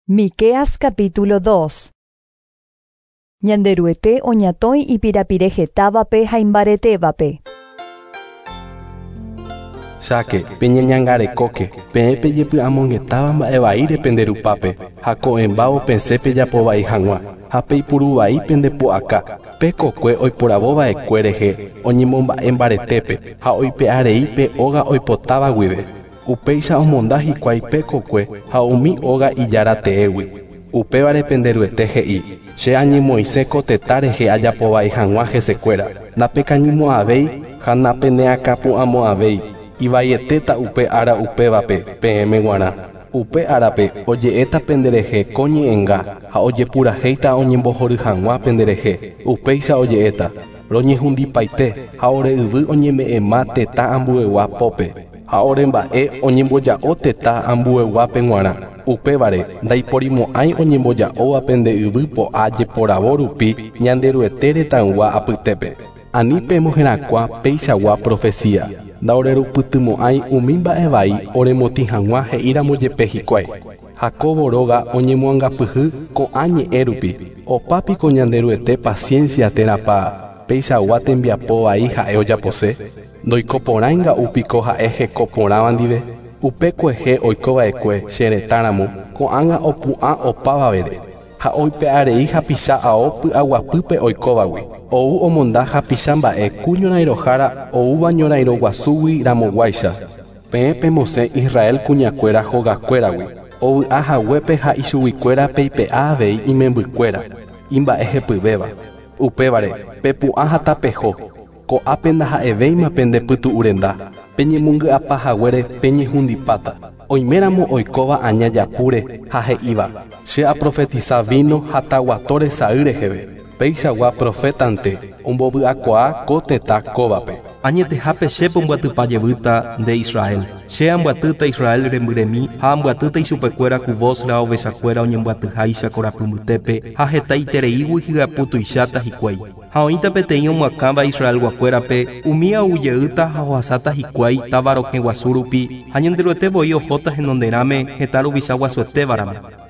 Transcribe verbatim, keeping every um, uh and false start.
Miqueas capítulo dos. Ñanderuete oñatõi ipirapirehetávape ha imbaretévape. Cháke, peñeñangarekóke, peẽ pejepy'amongetáva mba'evaíre penderupápe, ha ko'ẽmbávo pesẽ pejapovai hag̃ua, ha peipuruvai pendepu'aka, pe kokue oiporavova'ekue rehe oñemomba'e mbaretépe ha oipe'arei pe óga oipotáva guive. Upéicha omonda hikuái pe kokue ha umi óga ijára teégui. Upévare penderuete he'i, che añemoĩse ko tetã rehe ajapovai hag̃ua hesekuéra, napekañymo'ãvéi ha napeneakãpu'ãmo'ãvéi. Ivaietéta upe ára upévape peẽme g̃uarã. Upe árape oje'éta penderehe ko ñe'ẽnga ha ojepurahéita oñembohory hag̃ua penderehe. Upéicha oje'éta, roñehundipaite ha ore yvy oñeme'ẽma tetã ambuegua pópe ha ore mba'e oñemboja'o tetã ambueguápe g̃uarã. Upévare ndaiporimo'ãi oñemboja'óva pende yvy po'a jeporavo rupi Ñanderuete retãygua apytépe. Ani pemoherakuã peichagua profecía. Ndaorerupytymo'ãi umi mba'evai oremotĩ hag̃ua he'íramo jepe hikuái. Jacobo róga oñemoangapyhy ko'ã ñe'ẽ rupi. Opápiko Ñanderuete paciencia térãpa peichagua tembiapo vai ha'e ojapose. Ndoikoporãinga'úpiko ha'e hekoporãva ndive. Upe kuehe oikova'ekue che retãramo ko'ág̃a opu'ã opavavére ha oipe'arei hapicha ao py'aguapýpe oikóvagui. Ou omonda hapicha mba'e ku ñorairõhára oúva ñorairõguasúgui ramoguáicha. Peẽ pemosẽ Israel kuñakuéra hogakuéragui. Ovy'a haguépe ha ichuguikuéra peipe'a avei imembykuéra, imba'ehepyvéva. Upévare pepu'ã ha tapeho. Ko'ápe ndaha'evéima pendepytu'urenda. Peñemongy'apa haguére peñehundipáta. Oiméramo oikóva aña japúre ha he'íva, che aprofetiza vino ha taguatóre sa'y reheve. Peichagua profetante ombovy'akuaa ko tetã kóvape. Añetehápe che pombyatýpa jevýta nde Israel. Che ambyatýta Israel rembyremi ha ambyatýta ichupekuéra ku Bosra ovechakuéra oñembyatyháicha korapy mbytépe ha hetaitereígui hyaputuicháta hikuái. Ha oĩta peteĩ omyakãva Israelguakuérape umi agujeýta ha ohasáta hikuái táva rokẽ guasu rupi ha Ñanderuete voi ohóta henonderãme heta ruvicha guasuetévaramo.